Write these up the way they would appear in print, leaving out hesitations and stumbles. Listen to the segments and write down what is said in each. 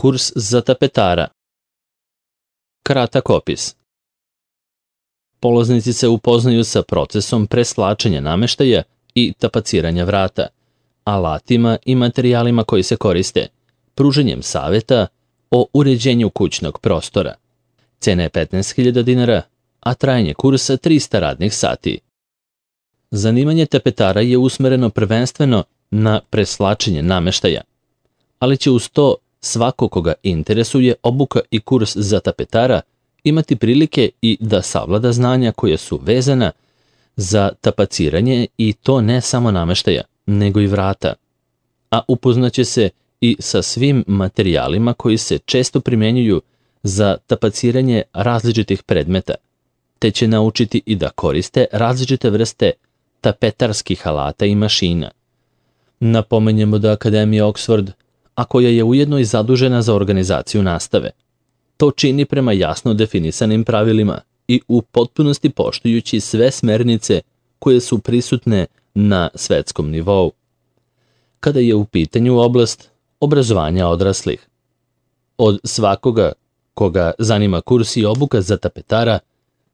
Kurs za tapetara. Kratak opis. Polaznici se upoznaju sa procesom preslačenja nameštaja i tapaciranja vrata, alatima i materijalima koji se koriste, pruženjem saveta o uređenju kućnog prostora. Cena je 15.000 dinara, a trajanje kursa 300 radnih sati. Zanimanje tapetara je usmereno prvenstveno na preslačenje nameštaja, ali će uz to svako koga interesuje obuka i kurs za tapetara imati prilike i da savlada znanja koje su vezana za tapaciranje i to ne samo nameštaja, nego i vrata. A upoznaće se i sa svim materijalima koji se često primenjuju za tapaciranje različitih predmeta, te će naučiti i da koriste različite vrste tapetarskih alata i mašina. Napomenjemo da Akademija Oxford, a koja je ujedno i zadužena za organizaciju nastave, to čini prema jasno definisanim pravilima i u potpunosti poštujući sve smernice koje su prisutne na svetskom nivou, kada je u pitanju oblast obrazovanja odraslih. Od svakoga koga zanima kurs i obuka za tapetara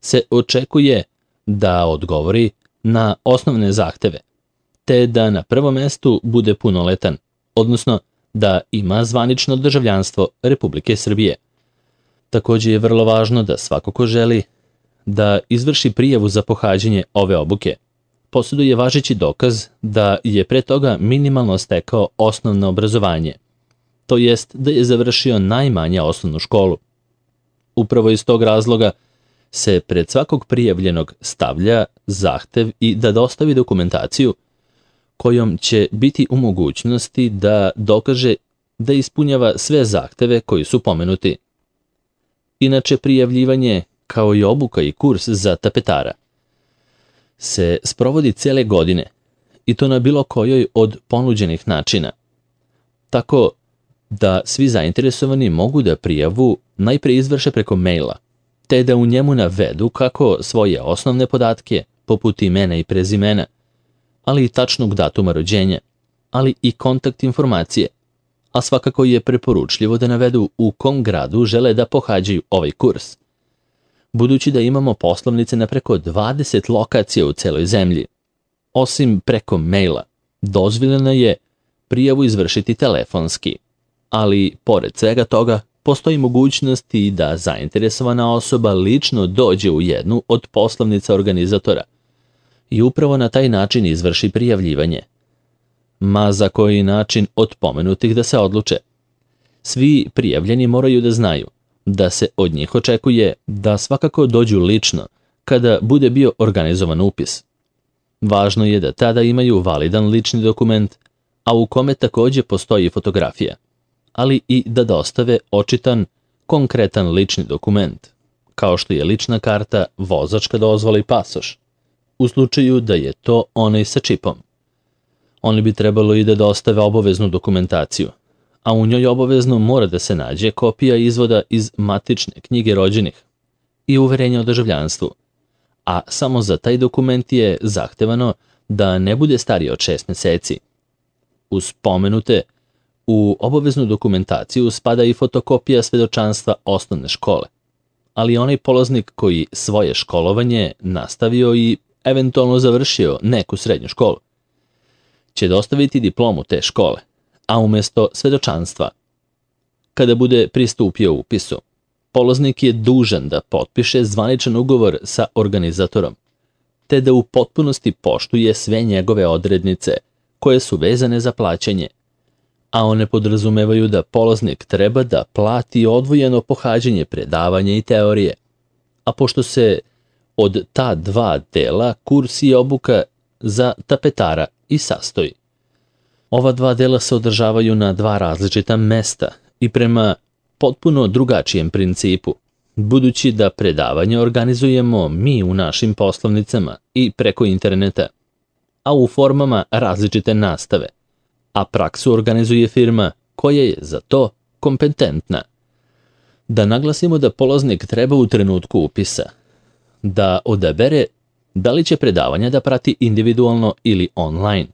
se očekuje da odgovori na osnovne zahteve, te da na prvom mestu bude punoletan, odnosno da ima zvanično državljanstvo Republike Srbije. Takođe je vrlo važno da svako ko želi da izvrši prijavu za pohađanje ove obuke posjeduje važeći dokaz da je pre toga minimalno stekao osnovno obrazovanje, to jest da je završio najmanje osnovnu školu. Upravo iz tog razloga se pred svakog prijavljenog stavlja zahtev i da dostavi dokumentaciju kojom će biti u mogućnosti da dokaže da ispunjava sve zahteve koji su pomenuti. Inače, prijavljivanje, kao i obuka i kurs za tapetara, se sprovodi cele godine i to na bilo kojoj od ponuđenih načina, tako da svi zainteresovani mogu da prijavu najpre izvrše preko maila, te da u njemu navedu kako svoje osnovne podatke, poput imena i prezimena, ali i tačnog datuma rođenja, ali i kontakt informacije, a svakako je preporučljivo da navedu u kom gradu žele da pohađaju ovaj kurs. Budući da imamo poslovnice na preko 20 lokacija u celoj zemlji, osim preko maila, dozvoljeno je prijavu izvršiti telefonski, ali pored svega toga postoji mogućnost i da zainteresovana osoba lično dođe u jednu od poslovnica organizatora i upravo na taj način izvrši prijavljivanje. Ma za koji način od pomenutih da se odluče. Svi prijavljeni moraju da znaju da se od njih očekuje da svakako dođu lično kada bude bio organizovan upis. Važno je da tada imaju validan lični dokument, a u kome takođe postoji fotografija, ali i da dostave očitan, konkretan lični dokument, kao što je lična karta, vozačka dozvola i pasoš, u slučaju da je to onaj sa čipom. Oni bi trebalo i da dostave obaveznu dokumentaciju, a u njoj obavezno mora da se nađe kopija izvoda iz matične knjige rođenih i uverenja o državljanstvu, a samo za taj dokument je zahtevano da ne bude stariji od 6 meseci. Uz pomenute, u obaveznu dokumentaciju spada i fotokopija svedočanstva osnovne škole, ali onaj polaznik koji svoje školovanje nastavio i eventualno završio neku srednju školu će dostaviti diplomu te škole, a umesto svedočanstva, kada bude pristupio upisu, polaznik je dužan da potpiše zvaničan ugovor sa organizatorom, te da u potpunosti poštuje sve njegove odrednice koje su vezane za plaćanje, a one podrazumevaju da polaznik treba da plati odvojeno pohađanje predavanja i teorije, a pošto se od ta dva dela kurs i obuka za tapetara i sastoji. Ova dva dela se održavaju na dva različita mesta i prema potpuno drugačijem principu, budući da predavanje organizujemo mi u našim poslovnicama i preko interneta, a u formama različite nastave, a praksu organizuje firma koja je za to kompetentna. Da naglasimo da polaznik treba u trenutku upisa da odabere da li će predavanja da prati individualno ili online,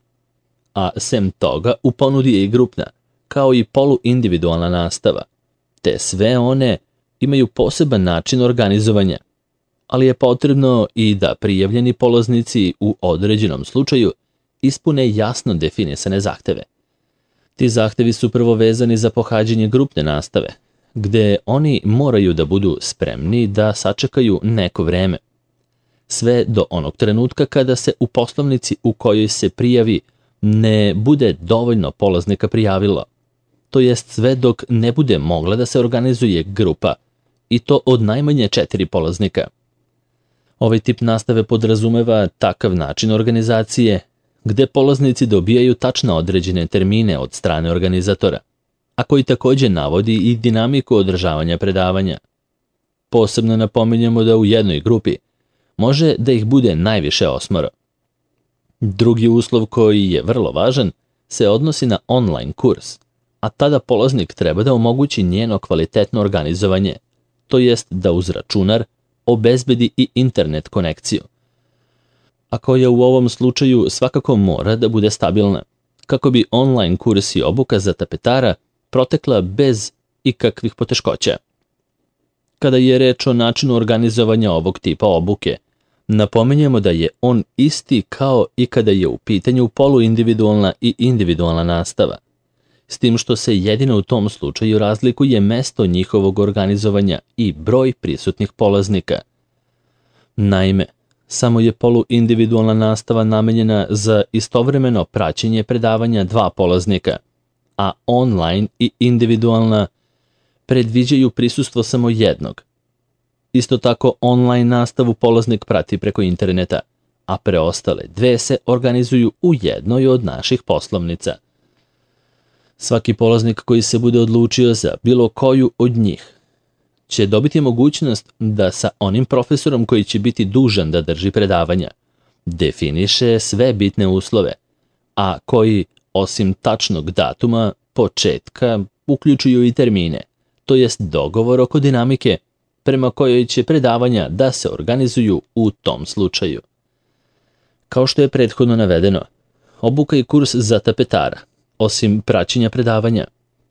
a sem toga u ponudi je i grupna, kao i poluindividualna nastava, te sve one imaju poseban način organizovanja, ali je potrebno i da prijavljeni polaznici u određenom slučaju ispune jasno definisane zahteve. Ti zahtevi su prvo vezani za pohađanje grupne nastave, gde oni moraju da budu spremni da sačekaju neko vreme. Sve do onog trenutka kada se u poslovnici u kojoj se prijavi ne bude dovoljno polaznika prijavilo, to jest sve dok ne bude mogla da se organizuje grupa, i to od najmanje 4 polaznika. Ovaj tip nastave podrazumeva takav način organizacije gde polaznici dobijaju tačno određene termine od strane organizatora, a koji takođe navodi i dinamiku održavanja predavanja. Posebno napominjemo da u jednoj grupi može da ih bude najviše 8. Drugi uslov koji je vrlo važan se odnosi na online kurs, a tada polaznik treba da omogući njeno kvalitetno organizovanje, to jest da uz računar obezbedi i internet konekciju, a koja u ovom slučaju svakako mora da bude stabilna, kako bi online kurs i obuka za tapetara protekla bez ikakvih poteškoća. Kada je reč o načinu organizovanja ovog tipa obuke, napominjemo da je on isti kao i kada je u pitanju poluindividualna i individualna nastava, s tim što se jedino u tom slučaju razlikuje mesto njihovog organizovanja i broj prisutnih polaznika. Naime, samo je poluindividualna nastava namenjena za istovremeno praćenje predavanja 2 polaznika, a online i individualna predviđaju prisustvo samo jednog. Isto tako, online nastavu polaznik prati preko interneta, a preostale 2 se organizuju u jednoj od naših poslovnica. Svaki polaznik koji se bude odlučio za bilo koju od njih će dobiti mogućnost da sa onim profesorom koji će biti dužan da drži predavanja definiše sve bitne uslove, a koji, osim tačnog datuma, početka, uključuju i termine, to jest dogovor oko dinamike prema kojoj će predavanja da se organizuju u tom slučaju. Kao što je prethodno navedeno, obuka i kurs za tapetara, osim praćenja predavanja,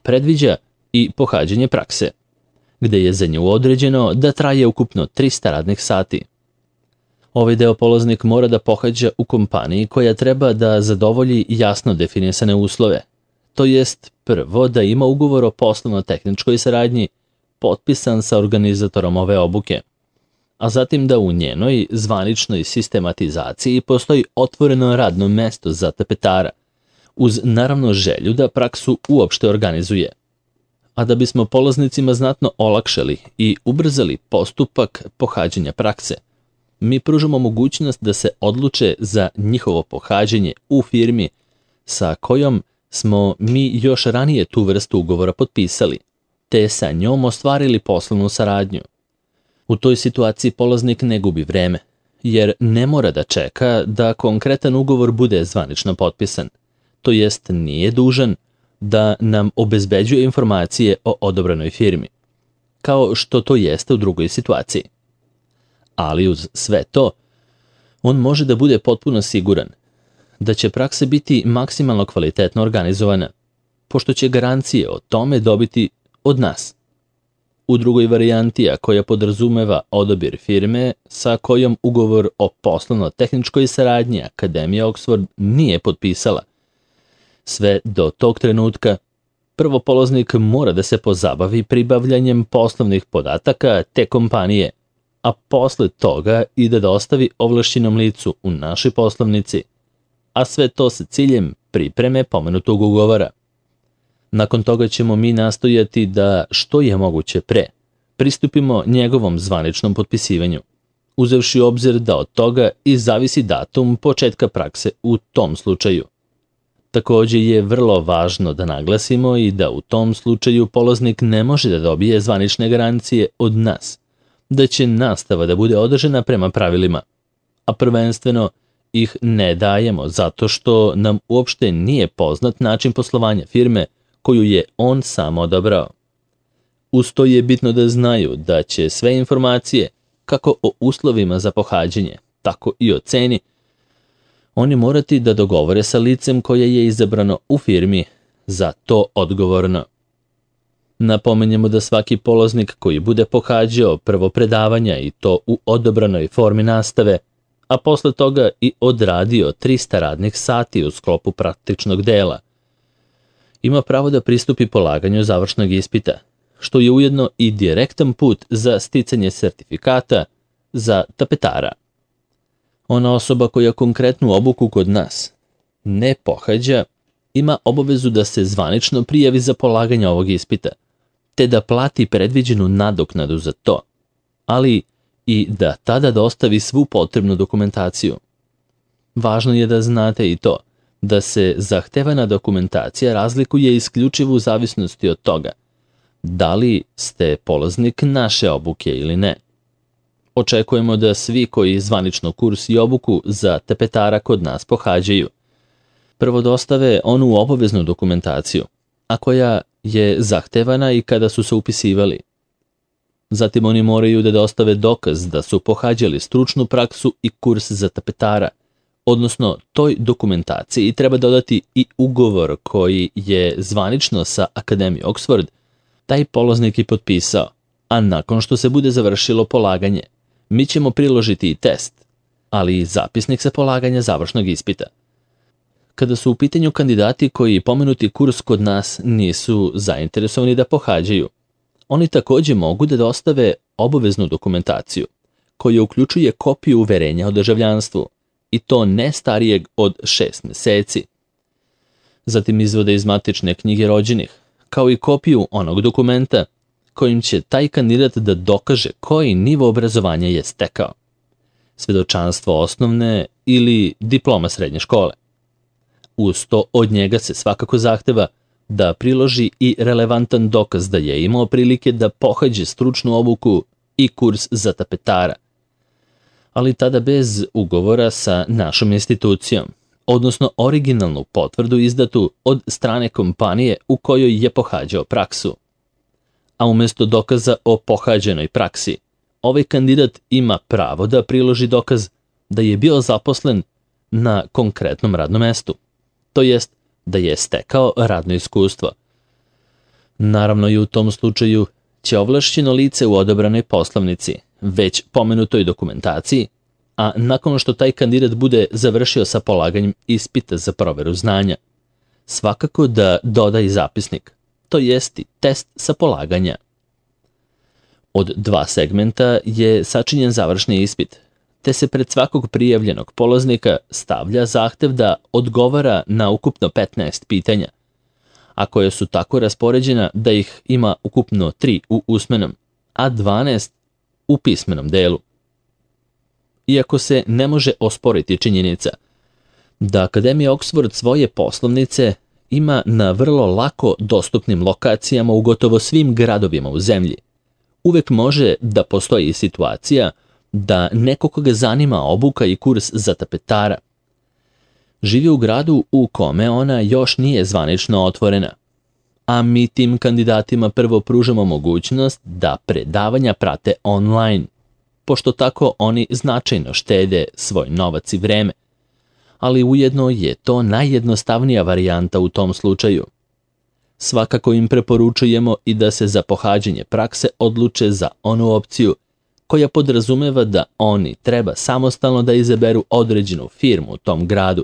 predviđa i pohađanje prakse, gde je za nju određeno da traje ukupno 300 radnih sati. Ovaj deo polaznik mora da pohađa u kompaniji koja treba da zadovolji jasno definisane uslove, to jest prvo da ima ugovor o poslovno-tehničkoj saradnji potpisan sa organizatorom ove obuke, a zatim da u njenoj zvaničnoj sistematizaciji postoji otvoreno radno mesto za tapetara, uz naravno želju da praksu uopšte organizuje. A da bismo polaznicima znatno olakšali i ubrzali postupak pohađanja prakse, mi pružamo mogućnost da se odluče za njihovo pohađanje u firmi sa kojom smo mi još ranije tu vrstu ugovora potpisali, te sa njom ostvarili poslovnu saradnju. U toj situaciji polaznik ne gubi vreme, jer ne mora da čeka da konkretan ugovor bude zvanično potpisan, to jest nije dužan da nam obezbeđuje informacije o odobrenoj firmi, kao što to jeste u drugoj situaciji. Ali uz sve to, on može da bude potpuno siguran da će praksa biti maksimalno kvalitetno organizovana, pošto će garancije o tome dobiti od nas. U drugoj varijanti, a koja podrazumeva odabir firme sa kojom ugovor o poslovno-tehničkoj saradnji Akademija Oxford nije potpisala, sve do tog trenutka, prvo polaznik mora da se pozabavi pribavljanjem poslovnih podataka te kompanije, a posle toga i da dostavi ovlašćenom licu u našoj poslovnici, a sve to sa ciljem pripreme pomenutog ugovora. Nakon toga ćemo mi nastojati da što je moguće pre pristupimo njegovom zvaničnom potpisivanju, uzevši u obzir da od toga i zavisi datum početka prakse u tom slučaju. Takođe je vrlo važno da naglasimo i da u tom slučaju polaznik ne može da dobije zvanične garancije od nas, da će nastava da bude održana prema pravilima, a prvenstveno ih ne dajemo zato što nam uopšte nije poznat način poslovanja firme koju je on sam odabrao. Uz to je bitno da znaju da će sve informacije, kako o uslovima za pohađanje, tako i o ceni, oni morati da dogovore sa licem koje je izabrano u firmi za to odgovorno. Napomenjemo da svaki polaznik koji bude pohađao prvo predavanja i to u odobranoj formi nastave, a posle toga i odradio 300 radnih sati u sklopu praktičnog dela, ima pravo da pristupi polaganju završnog ispita, što je ujedno i direktan put za sticanje sertifikata za tapetara. Ona osoba koja konkretnu obuku kod nas ne pohađa, ima obavezu da se zvanično prijavi za polaganje ovog ispita, te da plati predviđenu nadoknadu za to, ali i da tada dostavi svu potrebnu dokumentaciju. Važno je da znate i to, da se zahtevana dokumentacija razlikuje isključivo u zavisnosti od toga da li ste polaznik naše obuke ili ne. Očekujemo da svi koji zvanično kurs i obuku za tapetara kod nas pohađaju, prvo dostave onu obaveznu dokumentaciju, a koja je zahtevana i kada su se upisivali. Zatim oni moraju da dostave dokaz da su pohađali stručnu praksu i kurs za tapetara, odnosno toj dokumentaciji treba dodati i ugovor koji je zvanično sa Akademije Oxford taj polaznik i potpisao, a nakon što se bude završilo polaganje, mi ćemo priložiti i test, ali i zapisnik sa polaganja završnog ispita. Kada su u pitanju kandidati koji pomenuti kurs kod nas nisu zainteresovani da pohađaju, oni takođe mogu da dostave obaveznu dokumentaciju, koja uključuje kopiju uverenja o državljanstvu, i to ne starijeg od 6 meseci. Zatim izvode iz matične knjige rođenih, kao i kopiju onog dokumenta kojim će taj kandidat da dokaže koji nivo obrazovanja je stekao, svedočanstvo osnovne ili diploma srednje škole. Uz to od njega se svakako zahteva da priloži i relevantan dokaz da je imao prilike da pohađe stručnu obuku i kurs za tapetara, ali tada bez ugovora sa našom institucijom, odnosno originalnu potvrdu izdatu od strane kompanije u kojoj je pohađao praksu. A umesto dokaza o pohađenoj praksi, ovaj kandidat ima pravo da priloži dokaz da je bio zaposlen na konkretnom radnom mestu, to jest da je stekao radno iskustvo. Naravno i u tom slučaju će ovlašćeno lice u odobranoj poslovnici, već pomenutoj dokumentaciji, a nakon što taj kandidat bude završio sa polaganjem ispita za proveru znanja, svakako da doda i zapisnik, to jest i test sa polaganja. Od 2 segmenta je sačinjen završni ispit, te se pred svakog prijavljenog polaznika stavlja zahtev da odgovara na ukupno 15 pitanja, a koje su tako raspoređena da ih ima ukupno 3 u usmenom, a 12 u pismenom delu. Iako se ne može osporiti činjenica da Akademija Oxford svoje poslovnice ima na vrlo lako dostupnim lokacijama u gotovo svim gradovima u zemlji, uvek može da postoji situacija da neko koga zanima obuka i kurs za tapetara živi u gradu u kome ona još nije zvanično otvorena, a mi tim kandidatima prvo pružamo mogućnost da predavanja prate online, pošto tako oni značajno štede svoj novac i vreme, ali ujedno je to najjednostavnija varijanta u tom slučaju. Svakako im preporučujemo i da se za pohađanje prakse odluče za onu opciju koja podrazumeva da oni treba samostalno da izaberu određenu firmu u tom gradu,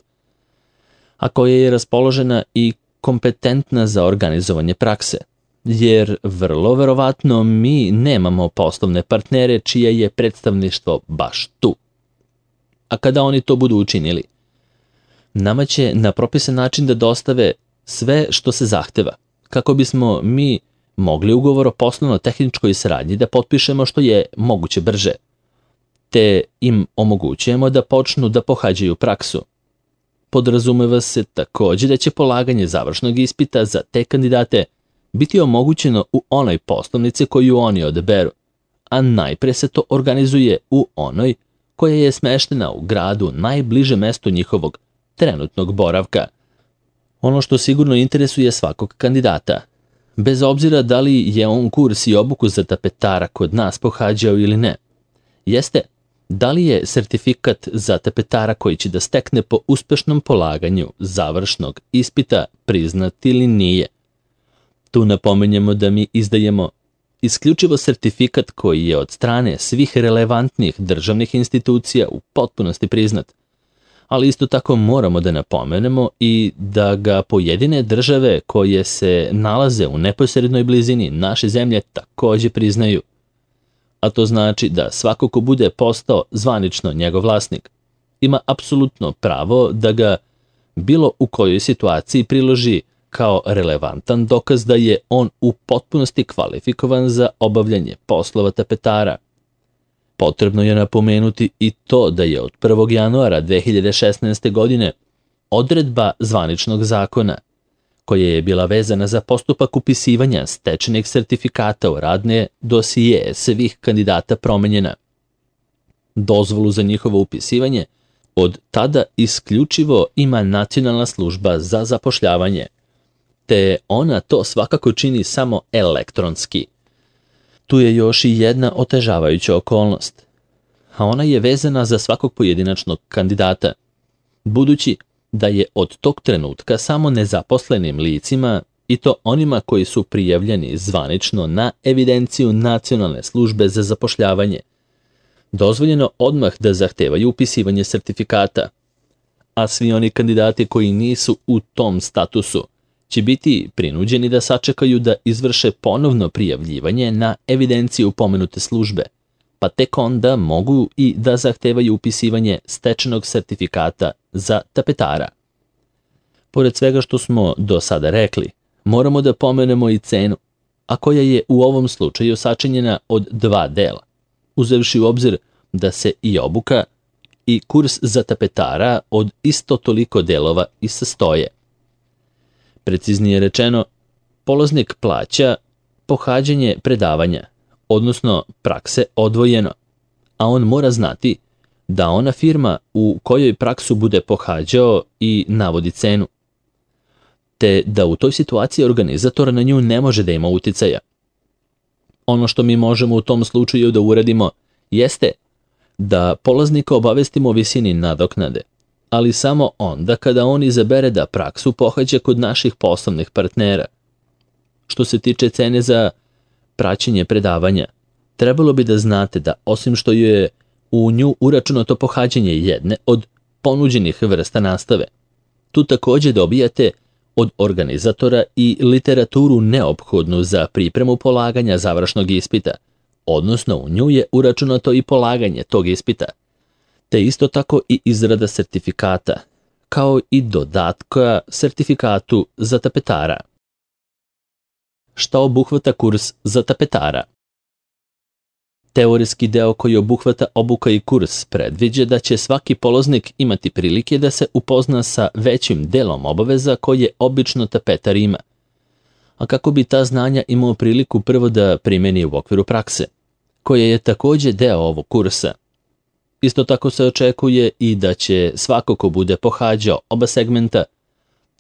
a koja je raspoložena i kompetentna za organizovanje prakse, jer vrlo verovatno mi nemamo poslovne partnere čije je predstavništvo baš tu. A kada oni to budu učinili, nama će na propisan način da dostave sve što se zahteva, kako bismo mi mogli ugovor o poslovno-tehničkoj saradnji da potpišemo što je moguće brže, te im omogućujemo da počnu da pohađaju praksu. Podrazumeva se takođe da će polaganje završnog ispita za te kandidate biti omogućeno u onoj poslovnici koju oni odaberu, a najpre se to organizuje u onoj koja je smeštena u gradu najbliže mestu njihovog trenutnog boravka. Ono što sigurno interesuje svakog kandidata, bez obzira da li je on kurs i obuku za tapetara kod nas pohađao ili ne, jeste da li je sertifikat za tapetara koji će da stekne po uspešnom polaganju završnog ispita priznat ili nije. Tu napominjemo da mi izdajemo isključivo sertifikat koji je od strane svih relevantnih državnih institucija u potpunosti priznat, ali isto tako moramo da napomenemo i da ga pojedine države koje se nalaze u neposrednoj blizini naše zemlje takođe priznaju. A to znači da svako ko bude postao zvanično njegov vlasnik ima apsolutno pravo da ga bilo u kojoj situaciji priloži kao relevantan dokaz da je on u potpunosti kvalifikovan za obavljanje poslova tapetara. Potrebno je napomenuti i to da je od 1. januara 2016. godine odredba zvaničnog zakona, koja je bila vezana za postupak upisivanja stečenih sertifikata u radne dosije svih kandidata promenjena. Dozvolu za njihovo upisivanje od tada isključivo ima Nacionalna služba za zapošljavanje, te ona to svakako čini samo elektronski. Tu je još i jedna otežavajuća okolnost, a ona je vezana za svakog pojedinačnog kandidata, budući da je od tog trenutka samo nezaposlenim licima, i to onima koji su prijavljeni zvanično na evidenciju Nacionalne službe za zapošljavanje, dozvoljeno odmah da zahtevaju upisivanje sertifikata, a svi oni kandidati koji nisu u tom statusu će biti prinuđeni da sačekaju da izvrše ponovno prijavljivanje na evidenciju pomenute službe, pa tek onda mogu i da zahtevaju upisivanje stečenog sertifikata za tapetara. Pored svega što smo do sada rekli, moramo da pomenemo i cenu, a koja je u ovom slučaju sačinjena od 2 dela, uzevši u obzir da se i obuka i kurs za tapetara od isto toliko delova i sastoje. Preciznije rečeno, polaznik plaća pohađanje predavanja, odnosno prakse odvojeno, a on mora znati da ona firma u kojoj praksu bude pohađao i navodi cenu, te da u toj situaciji organizator na nju ne može da ima uticaja. Ono što mi možemo u tom slučaju da uradimo jeste da polaznika obavestimo o visini nadoknade, ali samo onda kada on izabere da praksu pohađa kod naših poslovnih partnera. Što se tiče cene za praćenje predavanja, trebalo bi da znate da osim što je u nju uračunato pohađanje jedne od ponuđenih vrsta nastave, tu takođe dobijate od organizatora i literaturu neophodnu za pripremu polaganja završnog ispita, odnosno u nju je uračunato i polaganje tog ispita, te isto tako i izrada sertifikata, kao i dodatka sertifikatu za tapetara. Šta obuhvata kurs za tapetara? Teorijski deo koji obuhvata obuka i kurs predviđa da će svaki polaznik imati prilike da se upozna sa većim delom obaveza koje obično tapetar ima, a kako bi ta znanja imao priliku prvo da primeni u okviru prakse, koja je takođe deo ovog kursa. Isto tako se očekuje i da će svako ko bude pohađao oba segmenta,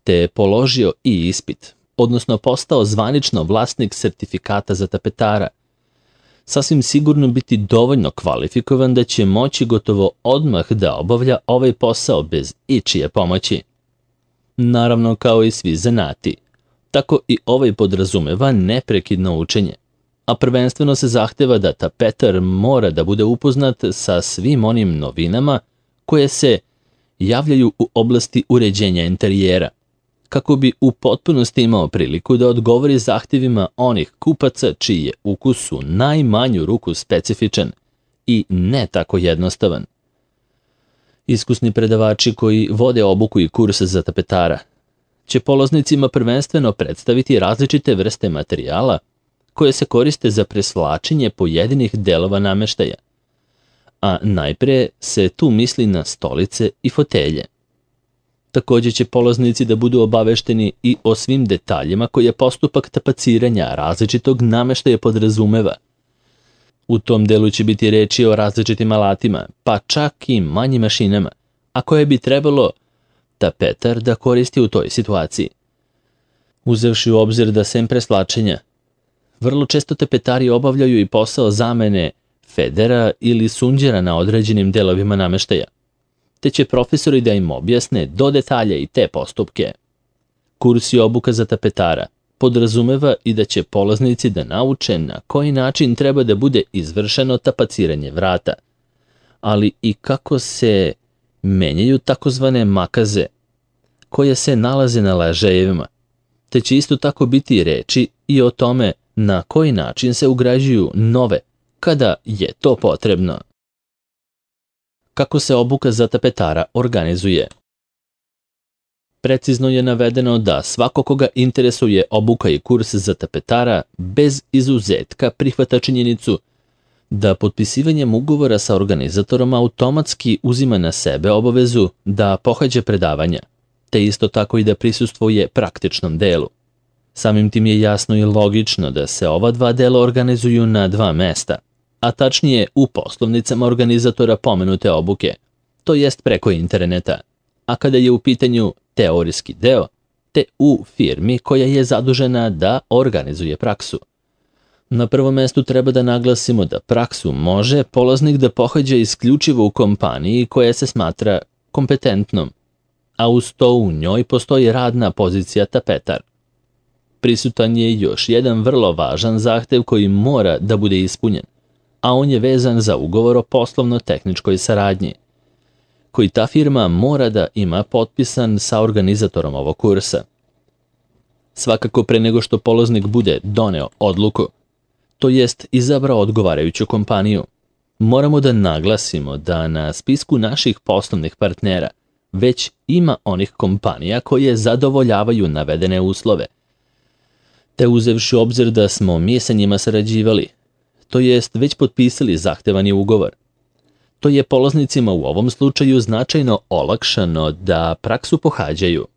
te položio i ispit, odnosno postao zvanično vlasnik sertifikata za tapetara, sasvim sigurno biti dovoljno kvalifikovan da će moći gotovo odmah da obavlja ovaj posao bez ičije pomoći. Naravno, kao i svi zanati, tako i ovaj podrazumeva neprekidno učenje, a prvenstveno se zahteva da tapetar mora da bude upoznat sa svim onim novinama koje se javljaju u oblasti uređenja interijera, kako bi u potpunosti imao priliku da odgovori zahtjevima onih kupaca čiji je ukus u najmanju ruku specifičan i ne tako jednostavan. Iskusni predavači koji vode obuku i kurse za tapetara će polaznicima prvenstveno predstaviti različite vrste materijala koje se koriste za presvlačenje pojedinih delova nameštaja, a najpre se tu misli na stolice i fotelje. Takođe će polaznici da budu obavešteni i o svim detaljima koje postupak tapaciranja različitog nameštaja podrazumeva. U tom delu će biti reči o različitim alatima, pa čak i manjim mašinama, a koje bi trebalo tapetar da koristi u toj situaciji. Uzevši u obzir da sem preslačenja, vrlo često tapetari obavljaju i posao zamene federa ili sunđera na određenim delovima nameštaja, te će profesori da im objasne do detalja i te postupke. Kurs i obuka za tapetara podrazumeva i da će polaznici da nauče na koji način treba da bude izvršeno tapaciranje vrata, ali i kako se menjaju takozvane makaze koje se nalaze na ležajevima, te će isto tako biti reči i o tome na koji način se ugrađuju nove kada je to potrebno. Kako se obuka za tapetara organizuje? Precizno je navedeno da svako koga interesuje obuka i kurs za tapetara bez izuzetka prihvata činjenicu da potpisivanjem ugovora sa organizatorom automatski uzima na sebe obavezu da pohađa predavanja, te isto tako i da prisustvuje praktičnom delu. Samim tim je jasno i logično da se ova dva dela organizuju na dva mesta, a tačnije u poslovnicama organizatora pomenute obuke, to jest preko interneta, a kada je u pitanju teorijski deo, te u firmi koja je zadužena da organizuje praksu. Na prvom mestu treba da naglasimo da praksu može polaznik da pohađa isključivo u kompaniji koja se smatra kompetentnom, a uz to u njoj postoji radna pozicija tapetar. Prisutan je još jedan vrlo važan zahtev koji mora da bude ispunjen, a on je vezan za ugovor o poslovno-tehničkoj saradnji, koji ta firma mora da ima potpisan sa organizatorom ovog kursa. Svakako pre nego što polaznik bude doneo odluku, to jest izabrao odgovarajuću kompaniju, moramo da naglasimo da na spisku naših poslovnih partnera već ima onih kompanija koje zadovoljavaju navedene uslove, te uzevši u obzir da smo mi sa njima sarađivali, to jest već potpisali zahtevani ugovor. To je polaznicima u ovom slučaju značajno olakšano da praksu pohađaju.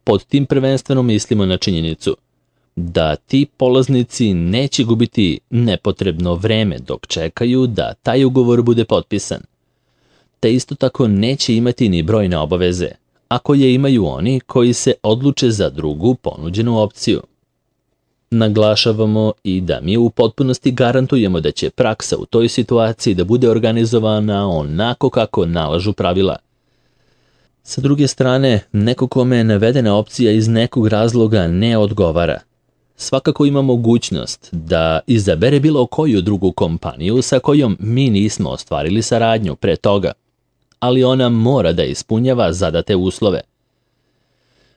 Pod tim prvenstveno mislimo na činjenicu da ti polaznici neće gubiti nepotrebno vreme dok čekaju da taj ugovor bude potpisan, te isto tako neće imati ni brojne obaveze, ako je imaju oni koji se odluče za drugu ponuđenu opciju. Naglašavamo i da mi u potpunosti garantujemo da će praksa u toj situaciji da bude organizovana onako kako nalažu pravila. Sa druge strane, neko kome je navedena opcija iz nekog razloga ne odgovara, svakako ima mogućnost da izabere bilo koju drugu kompaniju sa kojom mi nismo ostvarili saradnju pre toga, ali ona mora da ispunjava zadate uslove.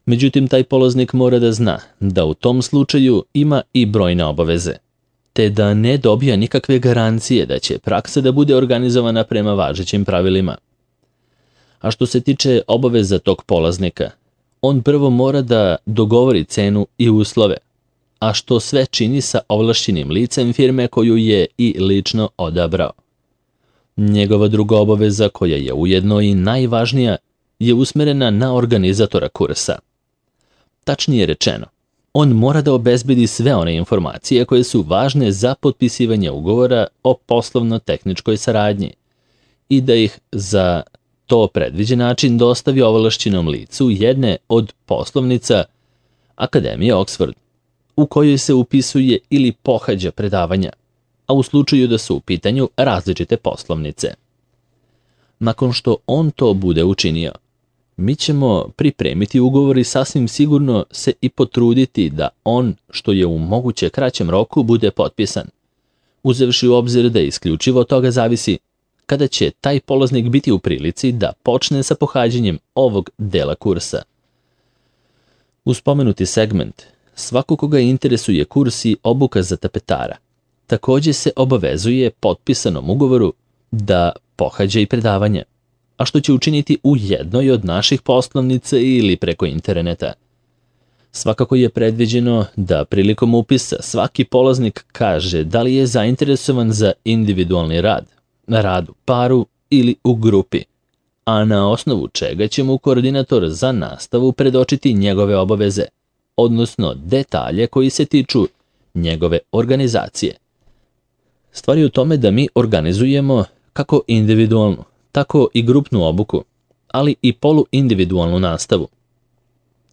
Međutim, taj polaznik mora da zna da u tom slučaju ima i brojne obaveze, te da ne dobija nikakve garancije da će praksa da bude organizovana prema važećim pravilima. A što se tiče obaveza tog polaznika, on prvo mora da dogovori cenu i uslove, a što sve čini sa ovlašćenim licem firme koju je i lično odabrao. Njegova druga obaveza, koja je ujedno i najvažnija, je usmerena na organizatora kursa. Tačnije rečeno, on mora da obezbedi sve one informacije koje su važne za potpisivanje ugovora o poslovno-tehničkoj saradnji i da ih za to predviđen način dostavi ovlašćenom licu jedne od poslovnica Akademije Oxford, u kojoj se upisuje ili pohađa predavanja, a u slučaju da su u pitanju različite poslovnice. Nakon što on to bude učinio, mi ćemo pripremiti ugovor i sasvim sigurno se i potruditi da on, što je u moguće kraćem roku, bude potpisan, uzevši u obzir da isključivo od toga zavisi kada će taj polaznik biti u prilici da počne sa pohađanjem ovog dela kursa. Uz spomenuti segment, svako koga interesuje kurs i obuka za tapetara, također se obavezuje potpisanom ugovoru da pohađa i predavanje, a što će učiniti u jednoj od naših poslovnica ili preko interneta. Svakako je predviđeno da prilikom upisa svaki polaznik kaže da li je zainteresovan za individualni rad u paru ili u grupi, a na osnovu čega će mu koordinator za nastavu predočiti njegove obaveze, odnosno detalje koji se tiču njegove organizacije. Stvar je u tome da mi organizujemo kako individualnu, tako i grupnu obuku, ali i poluindividualnu nastavu.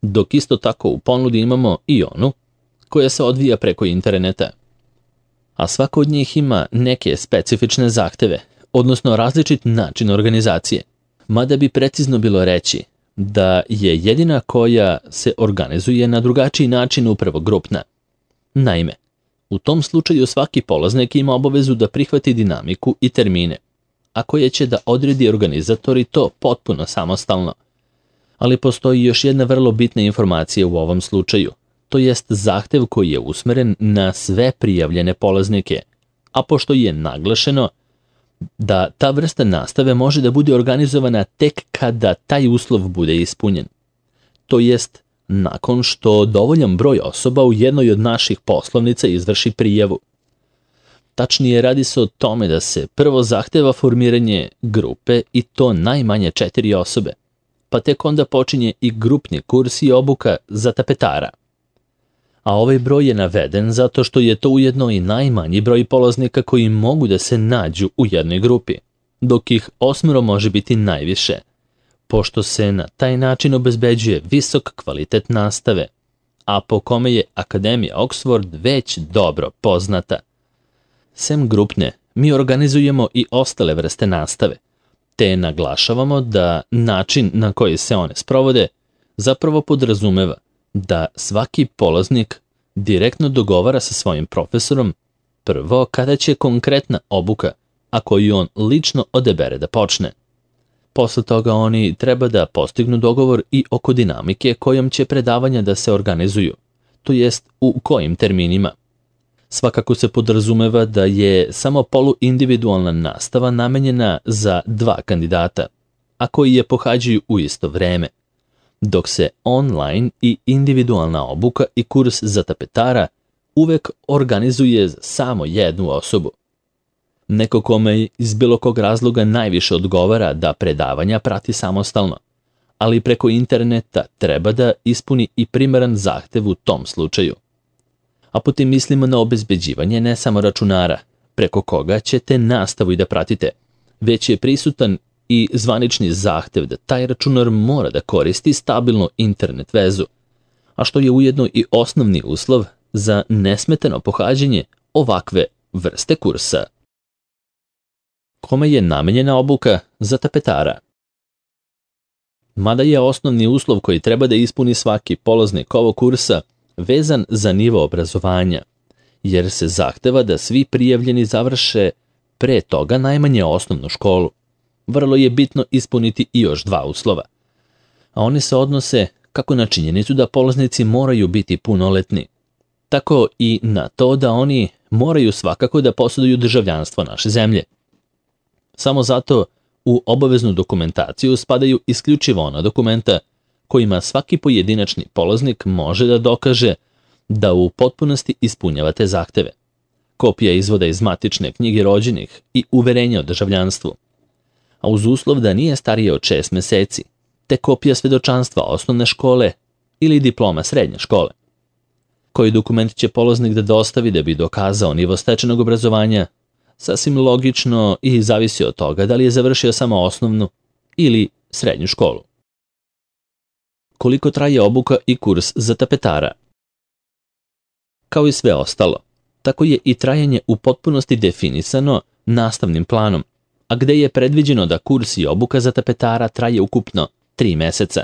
Dok isto tako u ponudi imamo i onu koja se odvija preko interneta. A svako od njih ima neke specifične zahteve, odnosno različit način organizacije. Mada bi precizno bilo reći da je jedina koja se organizuje na drugačiji način upravo grupna. Naime, u tom slučaju svaki polaznik ima obavezu da prihvati dinamiku i termine, a koje će da odredi organizator i to potpuno samostalno. Ali postoji još jedna vrlo bitna informacija u ovom slučaju, to jest zahtev koji je usmeren na sve prijavljene polaznike, a pošto je naglašeno da ta vrsta nastave može da bude organizovana tek kada taj uslov bude ispunjen. To jest, nakon što dovoljan broj osoba u jednoj od naših poslovnica izvrši prijavu. Tačnije, radi se o tome da se prvo zahteva formiranje grupe i to najmanje 4 osobe, pa tek onda počinje i grupni kurs i obuka za tapetara. A ovaj broj je naveden zato što je to ujedno i najmanji broj polaznika koji mogu da se nađu u jednoj grupi, dok ih 8 može biti najviše, pošto se na taj način obezbeđuje visok kvalitet nastave, a po kome je Akademija Oxford već dobro poznata. Sem grupne, mi organizujemo i ostale vrste nastave, te naglašavamo da način na koji se one sprovode zapravo podrazumeva da svaki polaznik direktno dogovara sa svojim profesorom prvo kada će konkretna obuka, a koju on lično odebere da počne. Posle toga oni treba da postignu dogovor i oko dinamike kojom će predavanja da se organizuju, to jest u kojim terminima. Svakako se podrazumeva da je samo poluindividualna nastava namenjena za 2 kandidata, a koji je pohađaju u isto vreme, dok se online i individualna obuka i kurs za tapetara uvek organizuje za samo jednu osobu. Neko kome iz bilo kog razloga najviše odgovara da predavanja prati samostalno, ali preko interneta treba da ispuni i primeran zahtev u tom slučaju. A potim mislimo na obezbeđivanje ne samo računara, preko koga ćete nastavu i da pratite, već je prisutan i zvanični zahtev da taj računar mora da koristi stabilnu internet vezu, a što je ujedno i osnovni uslov za nesmetano pohađanje ovakve vrste kursa. Kome je namenjena obuka za tapetara? Mada je osnovni uslov koji treba da ispuni svaki polaznik ovog kursa vezan za nivo obrazovanja, jer se zahteva da svi prijavljeni završe pre toga najmanje osnovnu školu. Vrlo je bitno ispuniti i još 2 uslova, a oni se odnose kako na činjenicu da polaznici moraju biti punoletni, tako i na to da oni moraju svakako da posjeduju državljanstvo naše zemlje. Samo zato u obaveznu dokumentaciju spadaju isključivo ona dokumenta kojima svaki pojedinačni polaznik može da dokaže da u potpunosti ispunjava te zahteve. Kopija izvoda iz matične knjige rođenih i uverenja o državljanstvu, a uz uslov da nije starije od 6 meseci, te kopija svedočanstva osnovne škole ili diploma srednje škole. Koji dokument će polaznik da dostavi da bi dokazao nivo stečenog obrazovanja, sasvim logično i zavisi od toga da li je završio samo osnovnu ili srednju školu. Koliko traje obuka i kurs za tapetara? Kao i sve ostalo, tako je i trajanje u potpunosti definisano nastavnim planom, a gde je predviđeno da kurs i obuka za tapetara traje ukupno 3 meseca.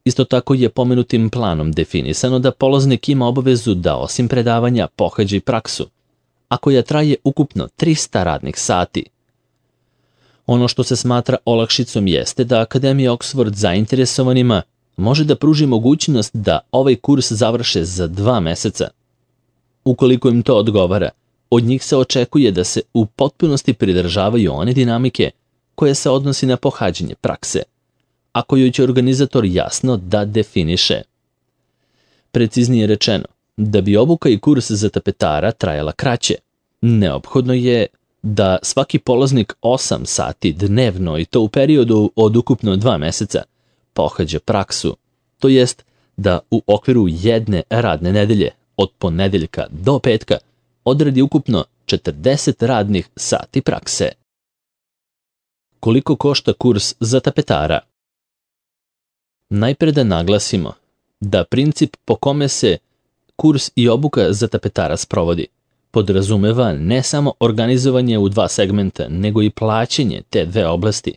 Isto tako je pomenutim planom definisano da polaznik ima obavezu da osim predavanja pohađa i praksu, a koja traje ukupno 300 radnih sati. Ono što se smatra olakšicom jeste da Akademija Oxford zainteresovanima može da pruži mogućnost da ovaj kurs završe za 2 meseca. Ukoliko im to odgovara, od njih se očekuje da se u potpunosti pridržavaju one dinamike koje se odnosi na pohađanje prakse, a koju će organizator jasno da definiše. Preciznije rečeno, da bi obuka i kurs za tapetara trajala kraće, neophodno je da svaki polaznik 8 sati dnevno i to u periodu od ukupno 2 meseca pohađa praksu, to jest da u okviru jedne radne nedelje od ponedeljka do petka odradi ukupno 40 radnih sati prakse. Koliko košta kurs za tapetara? Najpre da naglasimo da princip po kome se kurs i obuka za tapetara sprovodi podrazumeva ne samo organizovanje u 2 segmenta, nego i plaćanje te 2 oblasti.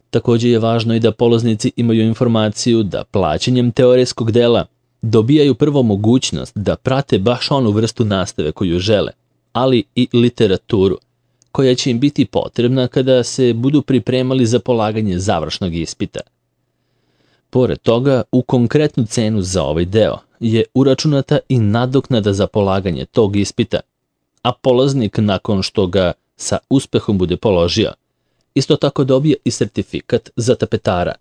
Također je važno i da polaznici imaju informaciju da plaćanjem teorijskog dela dobijaju prvo mogućnost da prate baš onu vrstu nastave koju žele, ali i literaturu, koja će im biti potrebna kada se budu pripremali za polaganje završnog ispita. Pored toga, u konkretnu cenu za ovaj deo je uračunata i nadoknada za polaganje tog ispita, a polaznik nakon što ga sa uspehom bude položio, isto tako dobije i sertifikat za tapetara,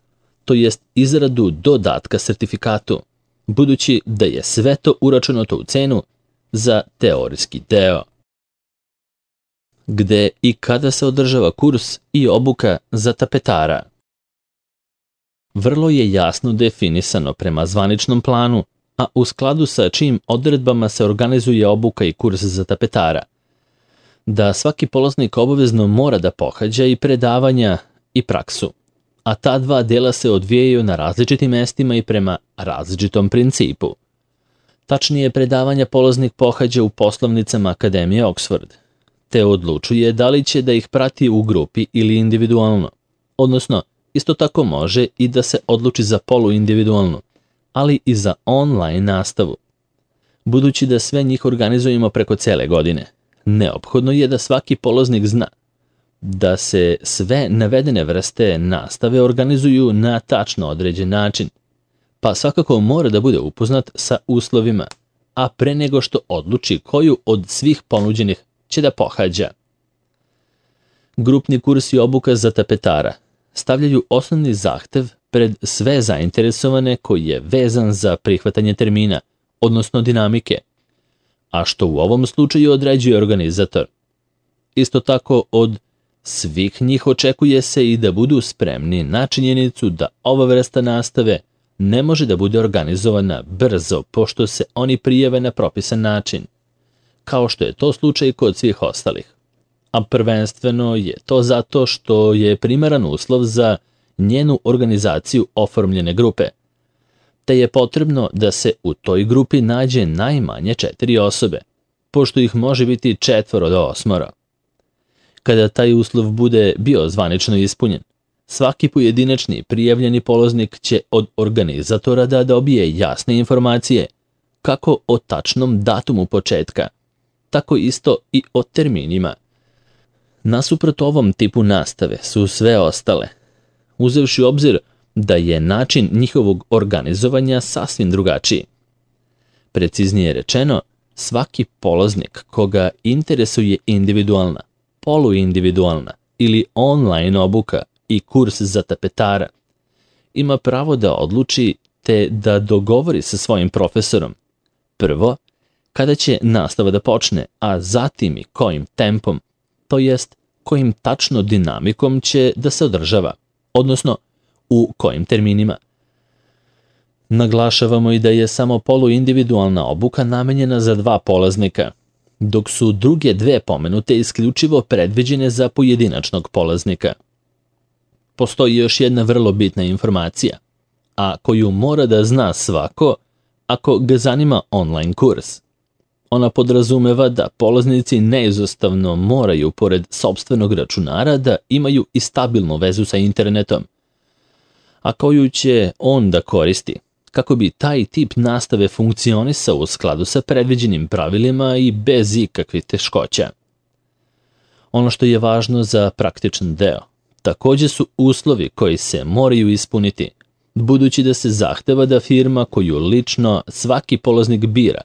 to jest izradu dodatka sertifikatu, budući da je sve to uračunato u cenu za teorijski deo. Gde i kada se održava kurs i obuka za tapetara? Vrlo je jasno definisano prema zvaničnom planu, a u skladu sa čijim odredbama se organizuje obuka i kurs za tapetara, da svaki polaznik obavezno mora da pohađa i predavanja i praksu, a ta dva dela se odvijaju na različitim mestima i prema različitom principu. Tačnije, predavanja polaznik pohađa u poslovnicama Akademije Oxford, te odlučuje da li će da ih prati u grupi ili individualno, odnosno isto tako može i da se odluči za poluindividualnu, ali i za online nastavu. Budući da sve njih organizujemo preko cele godine, neophodno je da svaki polaznik zna da se sve navedene vrste nastave organizuju na tačno određen način, pa svakako mora da bude upoznat sa uslovima, a pre nego što odluči koju od svih ponuđenih će da pohađa. Grupni kurs i obuka za tapetara stavljaju osnovni zahtev pred sve zainteresovane koji je vezan za prihvatanje termina, odnosno dinamike, a što u ovom slučaju određuje organizator. Isto tako od svih njih očekuje se i da budu spremni na činjenicu da ova vrsta nastave ne može da bude organizovana brzo pošto se oni prijave na propisan način, kao što je to slučaj kod svih ostalih. A prvenstveno je to zato što je primaran uslov za njenu organizaciju oformljene grupe, te je potrebno da se u toj grupi nađe najmanje 4 osobe, pošto ih može biti 4 do 8. Kada taj uslov bude bio zvanično ispunjen, svaki pojedinačni prijavljeni polaznik će od organizatora da dobije jasne informacije, kako o tačnom datumu početka, tako isto i o terminima. Nasuprot ovom tipu nastave su sve ostale, uzevši u obzir da je način njihovog organizovanja sasvim drugačiji. Preciznije rečeno, svaki polaznik koga interesuje individualna, poluindividualna ili online obuka i kurs za tapetara ima pravo da odluči te da dogovori sa svojim profesorom prvo kada će nastava da počne, a zatim i kojim tempom, to jest kojim tačno dinamikom će da se održava, odnosno u kojim terminima. Naglašavamo i da je samo poluindividualna obuka namenjena za 2 polaznika, dok su druge 2 pomenute isključivo predviđene za pojedinačnog polaznika. Postoji još jedna vrlo bitna informacija, a koju mora da zna svako ako ga zanima online kurs. Ona podrazumeva da polaznici neizostavno moraju, pored sopstvenog računara, da imaju i stabilnu vezu sa internetom, a koju će on da koristi kako bi taj tip nastave funkcionisao u skladu sa predviđenim pravilima i bez ikakvih teškoća. Ono što je važno za praktičan deo također su uslovi koji se moraju ispuniti, budući da se zahteva da firma koju lično svaki polaznik bira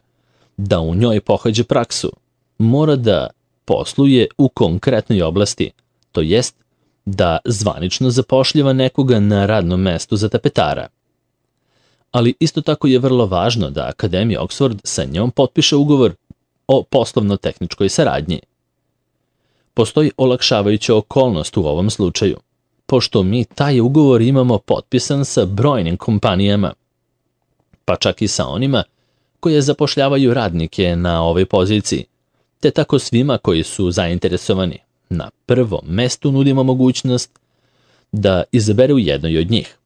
da u njoj pohađa praksu, mora da posluje u konkretnoj oblasti, to jest da zvanično zapošljava nekoga na radnom mestu za tapetara. Ali isto tako je vrlo važno da Akademija Oxford sa njom potpiše ugovor o poslovno-tehničkoj saradnji. Postoji olakšavajuća okolnost u ovom slučaju, pošto mi taj ugovor imamo potpisan sa brojnim kompanijama, pa čak i sa onima koje zapošljavaju radnike na ovoj poziciji, te tako svima koji su zainteresovani. Na prvom mestu nudimo mogućnost da izaberu jednoj od njih.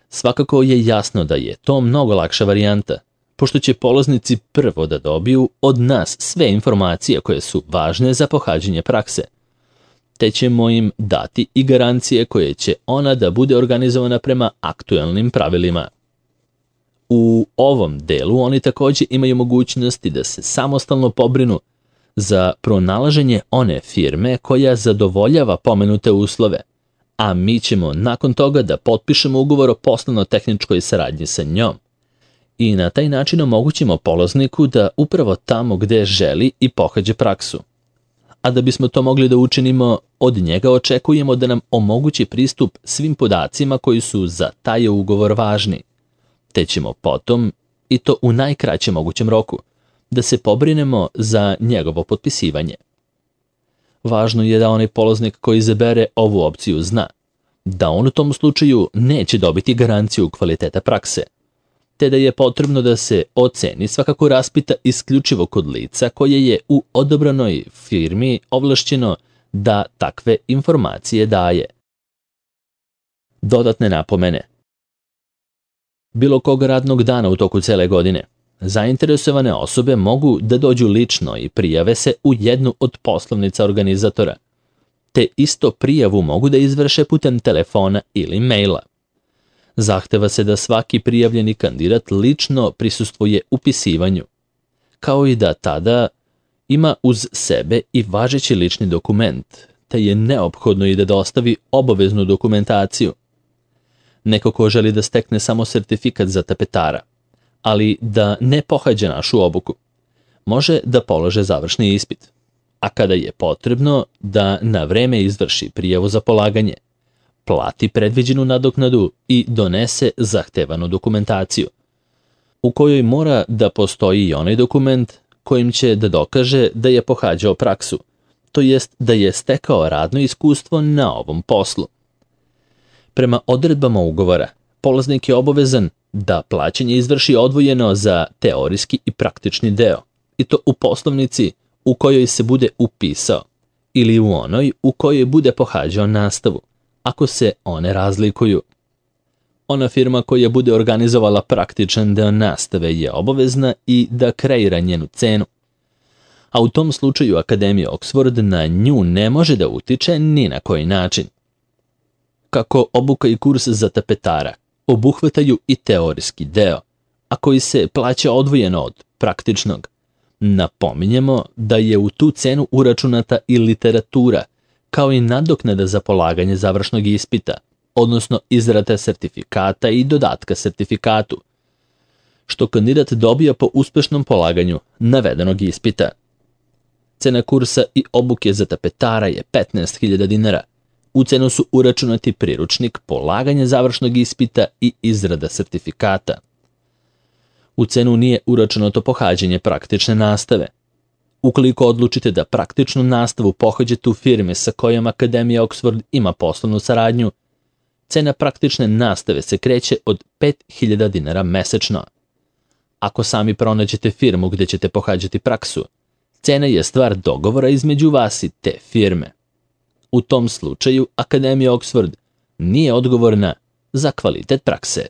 Svakako je jasno da je to mnogo lakša varijanta, pošto će polaznici prvo da dobiju od nas sve informacije koje su važne za pohađanje prakse, te ćemo im dati i garancije koje će ona da bude organizovana prema aktuelnim pravilima. U ovom delu oni također imaju mogućnosti da se samostalno pobrinu za pronalaženje one firme koja zadovoljava pomenute uslove, a mi ćemo nakon toga da potpišemo ugovor o poslovno-tehničkoj saradnji sa njom i na taj način omogućimo polazniku da upravo tamo gde želi i pohađe praksu. A da bismo to mogli da učinimo, od njega očekujemo da nam omogući pristup svim podacima koji su za taj ugovor važni, te ćemo potom, i to u najkraćem mogućem roku, da se pobrinemo za njegovo potpisivanje. Važno je da onaj polaznik koji izabere ovu opciju zna da on u tom slučaju neće dobiti garanciju kvaliteta prakse, te da je potrebno da se oceni svakako raspita isključivo kod lica koje je u odobranoj firmi ovlašćeno da takve informacije daje. Dodatne napomene. Bilo kog radnog dana u toku cele godine, zainteresovane osobe mogu da dođu lično i prijave se u jednu od poslovnica organizatora, te isto prijavu mogu da izvrše putem telefona ili maila. Zahteva se da svaki prijavljeni kandidat lično prisustvuje upisivanju, kao i da tada ima uz sebe i važeći lični dokument, te je neophodno i da dostavi obaveznu dokumentaciju. Neko ko želi da stekne samo sertifikat za tapetara, ali da ne pohađa našu obuku, može da polože završni ispit, a kada je potrebno da na vreme izvrši prijavu za polaganje, plati predviđenu nadoknadu i donese zahtevanu dokumentaciju, u kojoj mora da postoji i onaj dokument kojim će da dokaže da je pohađao praksu, to jest da je stekao radno iskustvo na ovom poslu. Prema odredbama ugovora, polaznik je obavezan da plaćanje izvrši odvojeno za teorijski i praktični deo, i to u poslovnici u kojoj se bude upisao ili u onoj u kojoj bude pohađao nastavu, ako se one razlikuju. Ona firma koja bude organizovala praktičan deo nastave je obavezna i da kreira njenu cenu, a u tom slučaju Akademija Oxford na nju ne može da utiče ni na koji način. Kako obuka i kurs za tapetara obuhvataju i teorijski deo, a koji se plaća odvojeno od praktičnog, napominjemo da je u tu cenu uračunata i literatura, kao i nadoknada za polaganje završnog ispita, odnosno izrada sertifikata i dodatka sertifikatu, što kandidat dobija po uspešnom polaganju navedenog ispita. Cena kursa i obuke za tapetara je 15.000 dinara. U cenu su uračunati priručnik, polaganje završnog ispita i izrada sertifikata. U cenu nije uračunato pohađanje praktične nastave. Ukoliko odlučite da praktičnu nastavu pohađate u firmi sa kojom Akademija Oxford ima poslovnu saradnju, cena praktične nastave se kreće od 5.000 dinara mesečno. Ako sami pronađete firmu gde ćete pohađati praksu, cena je stvar dogovora između vas i te firme. U tom slučaju Akademija Oxford nije odgovorna za kvalitet prakse.